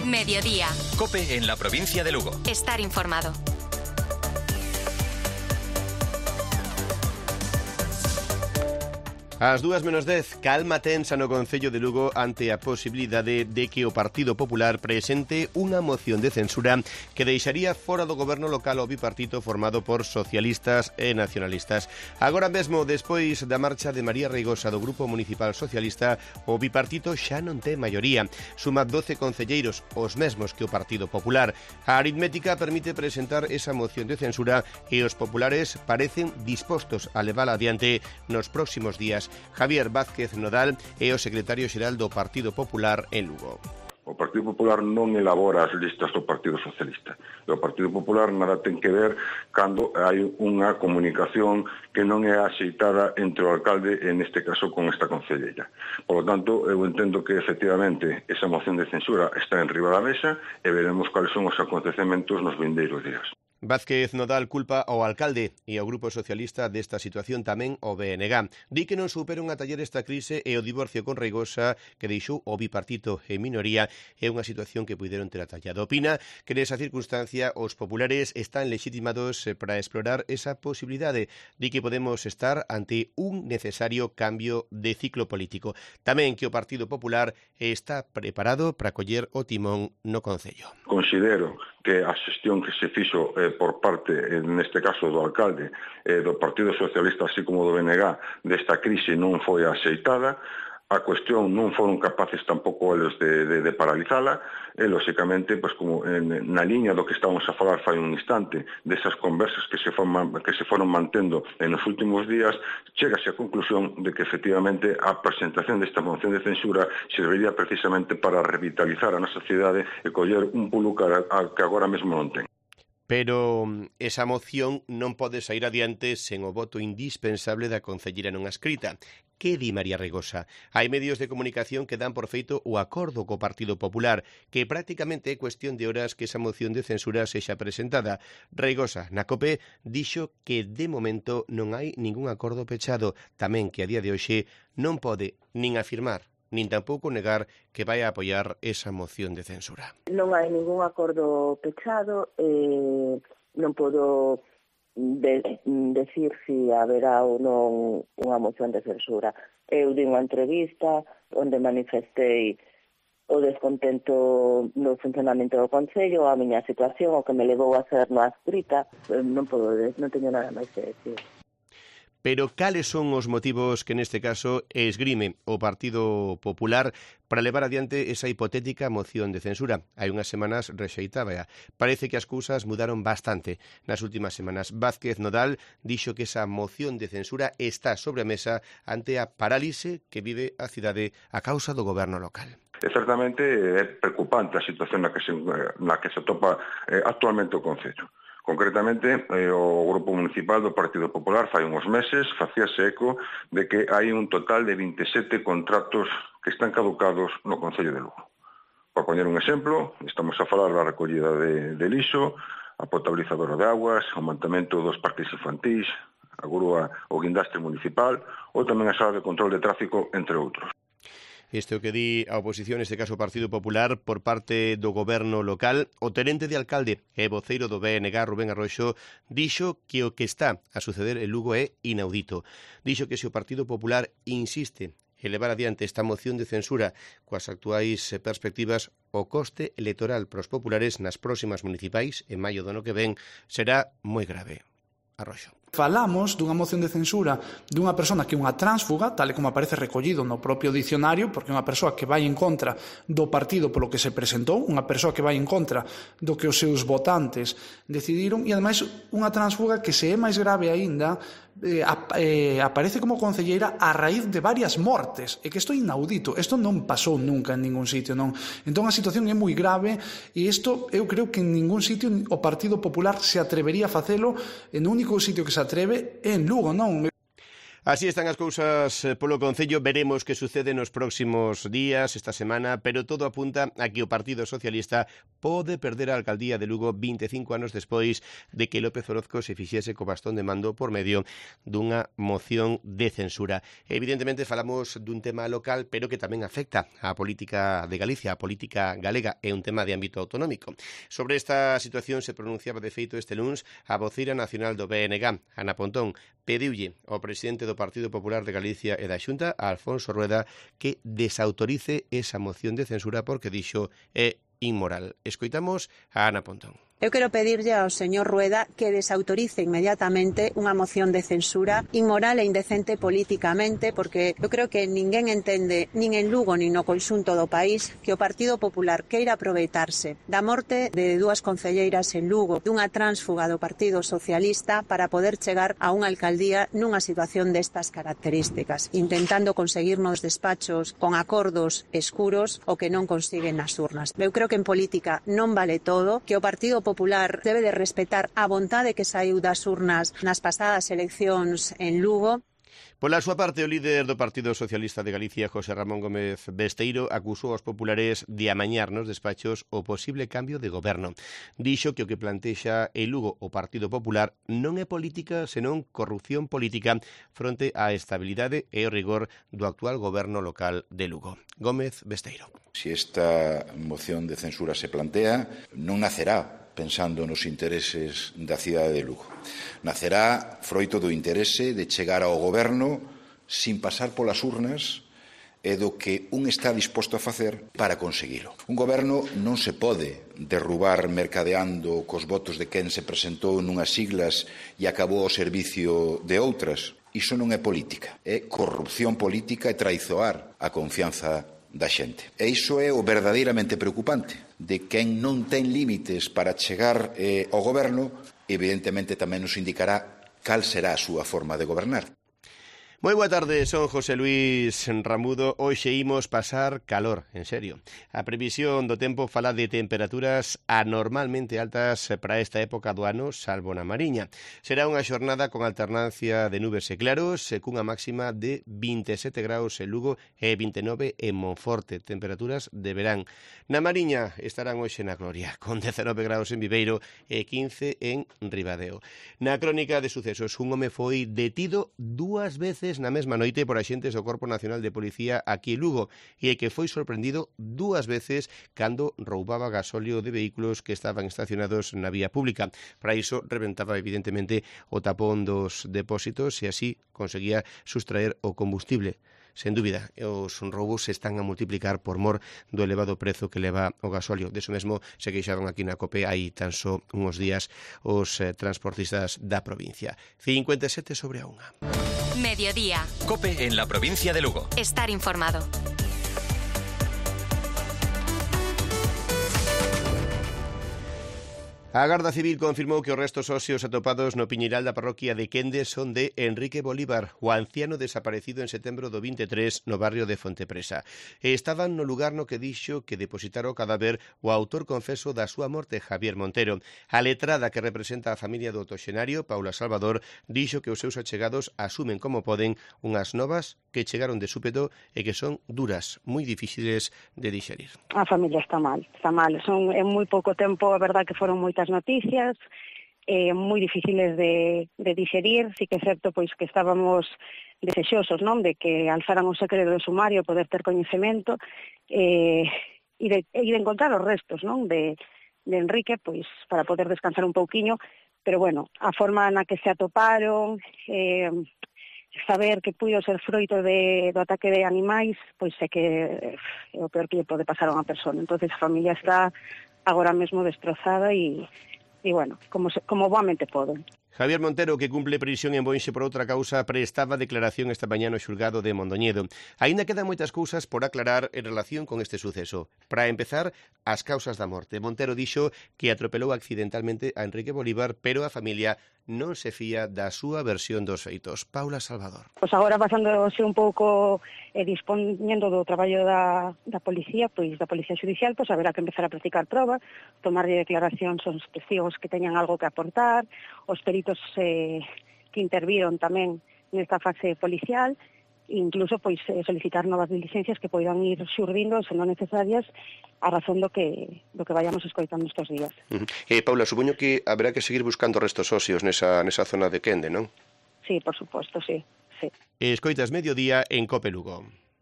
Mediodía. COPE en la provincia de Lugo. Estar informado. Ás 2:10, calma tensa no Concello de Lugo ante a posibilidade de que o Partido Popular presente unha moción de censura que deixaría fora do goberno local o bipartito formado por socialistas e nacionalistas. Agora mesmo, despois da marcha de María Reigosa do Grupo Municipal Socialista, o bipartito xa non ten maioría. Suma 12 concelleiros, os mesmos que o Partido Popular. A aritmética permite presentar esa moción de censura e os populares parecen dispostos a levala adiante nos próximos días. Javier Vázquez Nodal é o secretario xeral do Partido Popular en Lugo. O Partido Popular non elabora as listas do Partido Socialista. E o Partido Popular nada ten que ver cando hai unha comunicación que non é axeitada entre o alcalde, en este caso con esta concelleira. Por lo tanto, eu entendo que efectivamente esa moción de censura está en riba da mesa e veremos cuáles son os acontecementos nos vindeiros días. Vázquez Nodal culpa ao alcalde e ao Grupo Socialista desta situación tamén o BNG. Di que non superan a taller esta crise e o divorcio con Reigosa que deixou o bipartito en minoría é unha situación que puideron ter atallado. Opina que nesa circunstancia os populares están legitimados para explorar esa posibilidade. Di que podemos estar ante un necesario cambio de ciclo político. Tamén que o Partido Popular está preparado para coller o timón no Concello. Considero que a xestión que se fixo por parte, neste caso, do alcalde, do Partido Socialista, así como do BNG, desta crise non foi axeitada. A cuestión non foron capaces tampouco eles de paralizala e, lóxicamente, pues, como na liña do que estábamos a falar fai un instante, desas conversas que se foron mantendo nos últimos días, chegase á conclusión de que, efectivamente, a presentación desta moción de censura serviría precisamente para revitalizar a nosa cidade e coller un pulo que agora mesmo non ten. Pero esa moción non pode sair adiante sen o voto indispensable da concelleira non adscrita. Que di María Reigosa? Hai medios de comunicación que dan por feito o acordo co Partido Popular, que prácticamente é cuestión de horas que esa moción de censura sexa presentada. Reigosa, na COPE, dixo que de momento non hai ningún acordo pechado, tamén que a día de hoxe non pode nin afirmar nin tampouco negar que vai a apoiar esa moción de censura. Non hai ningún acordo pechado, non podo decir se haberá ou non unha moción de censura. Eu di unha entrevista onde manifestei o descontento no funcionamento do Concello, a miña situación, o que me levou a ser no adscrita, non teño nada máis que decir. Pero cales son os motivos que neste caso esgrime o Partido Popular para levar adiante esa hipotética moción de censura? Hai unhas semanas rexeitábaa. Parece que as cousas mudaron bastante nas últimas semanas. Vázquez Nodal dixo que esa moción de censura está sobre a mesa ante a parálise que vive a cidade a causa do goberno local. Certamente é preocupante a situación na que se atopa actualmente o Concello. Concretamente, o Grupo Municipal do Partido Popular fai uns meses facíase eco de que hai un total de 27 contratos que están caducados no Concello de Lugo. Por poñer un exemplo, estamos a falar da recollida de lixo, a potabilizadora de aguas, o mantemento dos parques infantís, a grúa o guindastre municipal ou tamén a sala de control de tráfico, entre outros. Isto é o que di a oposición, neste caso o Partido Popular, por parte do goberno local. O tenente de alcalde e voceiro do BNG, Rubén Arroxo, dixo que o que está a suceder en Lugo é inaudito. Dixo que se o Partido Popular insiste en levar adiante esta moción de censura coas actuais perspectivas, o coste electoral para os populares nas próximas municipais, en maio do ano que ven, será moi grave. Arroxo. Falamos dunha moción de censura dunha persona que é unha tránsfuga, tal e como aparece recollido no propio dicionario, porque é unha persoa que vai en contra do partido polo que se presentou, unha persoa que vai en contra do que os seus votantes decidiron, e ademais unha tránsfuga que, se é máis grave aínda, aparece como concelleira a raíz de varias mortes, e que isto é inaudito, isto non pasou nunca en ningún sitio, non? Entón a situación é moi grave, e isto eu creo que en ningún sitio o Partido Popular se atrevería a facelo, en o único sitio que se atreve é en Lugo, non? Así están as cousas polo Concello, veremos que sucede nos próximos días, esta semana, pero todo apunta a que o Partido Socialista pode perder a alcaldía de Lugo 25 anos despois de que López Orozco se fixese co bastón de mando por medio dunha moción de censura. Evidentemente falamos dun tema local, pero que tamén afecta á política de Galicia, a política galega, é un tema de ámbito autonómico. Sobre esta situación se pronunciaba de feito este luns a voceira nacional do BNG, Ana Pontón, pediulle ao presidente do Partido Popular de Galicia e da Xunta, a Alfonso Rueda, que desautorice esa moción de censura porque dixo é inmoral. Escoitamos a Ana Pontón. Eu quero pedirlle ao señor Rueda que desautorice inmediatamente unha moción de censura inmoral e indecente políticamente, porque eu creo que ninguén entende, nin en Lugo nin no conxunto do país, que o Partido Popular queira aproveitarse da morte de dúas concelleiras en Lugo, dunha tránsfuga do Partido Socialista, para poder chegar a unha alcaldía nunha situación destas características, intentando conseguir nos despachos con acordos escuros o que non consiguen nas urnas. Eu creo que en política non vale todo, que o Partido Popular debe de respetar a vontade que saiu das urnas nas pasadas eleccións en Lugo. Pola súa parte, o líder do Partido Socialista de Galicia, José Ramón Gómez Besteiro, acusou aos populares de amañar nos despachos o posible cambio de goberno. Dixo que o que plantexa en Lugo o Partido Popular non é política, senón corrupción política fronte á estabilidade e o rigor do actual goberno local de Lugo. Gómez Besteiro. Si esta moción de censura se plantea, non nacerá pensando nos intereses da cidade de Lugo. Nacerá froito do interese de chegar ao goberno sin pasar polas urnas e do que un está disposto a facer para conseguilo. Un goberno non se pode derrubar mercadeando cos votos de quen se presentou nunhas siglas e acabou ao servicio de outras. Iso non é política, é corrupción política e traizoar a confianza da xente. E iso é o verdadeiramente preocupante, de quen non ten límites para chegar ao goberno, evidentemente tamén nos indicará cal será a súa forma de gobernar. Moi boa tarde, son José Luis Ramudo. Hoxe imos pasar calor, en serio. A previsión do tempo fala de temperaturas anormalmente altas para esta época do ano, salvo na Mariña. Será unha xornada con alternancia de nubes e claros, cunha máxima de 27 graus en Lugo e 29 en Monforte, temperaturas de verán. Na Mariña estarán hoxe na gloria, con 19 graus en Viveiro e 15 en Ribadeo. Na crónica de sucesos, un home foi detido 2 veces na mesma noite por axentes do Corpo Nacional de Policía aquí en Lugo e que foi sorprendido 2 veces cando roubaba gasóleo de vehículos que estaban estacionados na vía pública. Para iso reventaba evidentemente o tapón dos depósitos e así conseguía sustraer o combustible. Sen dúbida, os roubos se están a multiplicar por mor do elevado prezo que leva o gasóleo. Deso mesmo se queixaban aquí na COPE hai tan só uns días os transportistas da provincia. 57 sobre a 1. Mediodía. COPE en la provincia de Lugo. Estar informado. A Garda Civil confirmou que os restos óseos atopados no Piñeiral da parroquia de Quende son de Enrique Bolívar, o anciano desaparecido en setembro do 23 no barrio de Fontepresa. E estaban no lugar no que dixo que depositara o cadáver o autor confeso da súa morte, Javier Montero. A letrada que representa a familia do octoxenario, Paula Salvador, dixo que os seus achegados asumen como poden unhas novas que chegaron de súpeto e que son duras, moi difíciles de dixerir. A familia está mal. Son en moi pouco tempo, a verdad que foron moitas noticias, moi difíciles de dixerir. Sí que é certo pois que estábamos desexosos, non, de que alzaran o secreto do sumario, poder ter coñecemento e de encontrar os restos, non, de Enrique, pois para poder descansar un pouquiño, pero bueno, a forma na que se atoparon, saber que puido ser froito do ataque de animais, pois é que é o peor que lle pode pasar a unha persona. Entonces a familia está agora mesmo destrozada e bueno, como boamente poden. Javier Montero, que cumple prisión en Boenxe por outra causa, prestaba declaración esta mañá no xulgado de Mondoñedo. Aínda quedan moitas cousas por aclarar en relación con este suceso. Para empezar, as causas da morte. Montero dixo que atropelou accidentalmente a Enrique Bolívar, pero a familia non se fía da súa versión dos feitos. Paula Salvador. Pois agora pasándose un pouco dispoñendo do traballo da policía, pois da policía judicial, pois haberá que empezar a practicar proba, tomarlle declaracións aos testigos que teñan algo que aportar, os peritos que interviron tamén nesta fase policial, incluso pois solicitar novas diligencias que poidan ir xurdindo, se non necesarias, a razón do que vayamos escoitando estes días. Paula, supoño que haberá que seguir buscando restos óseos nesa zona de Quende, non? Sí, por suposto, sí. Escoitas Mediodía en COPE Lugo.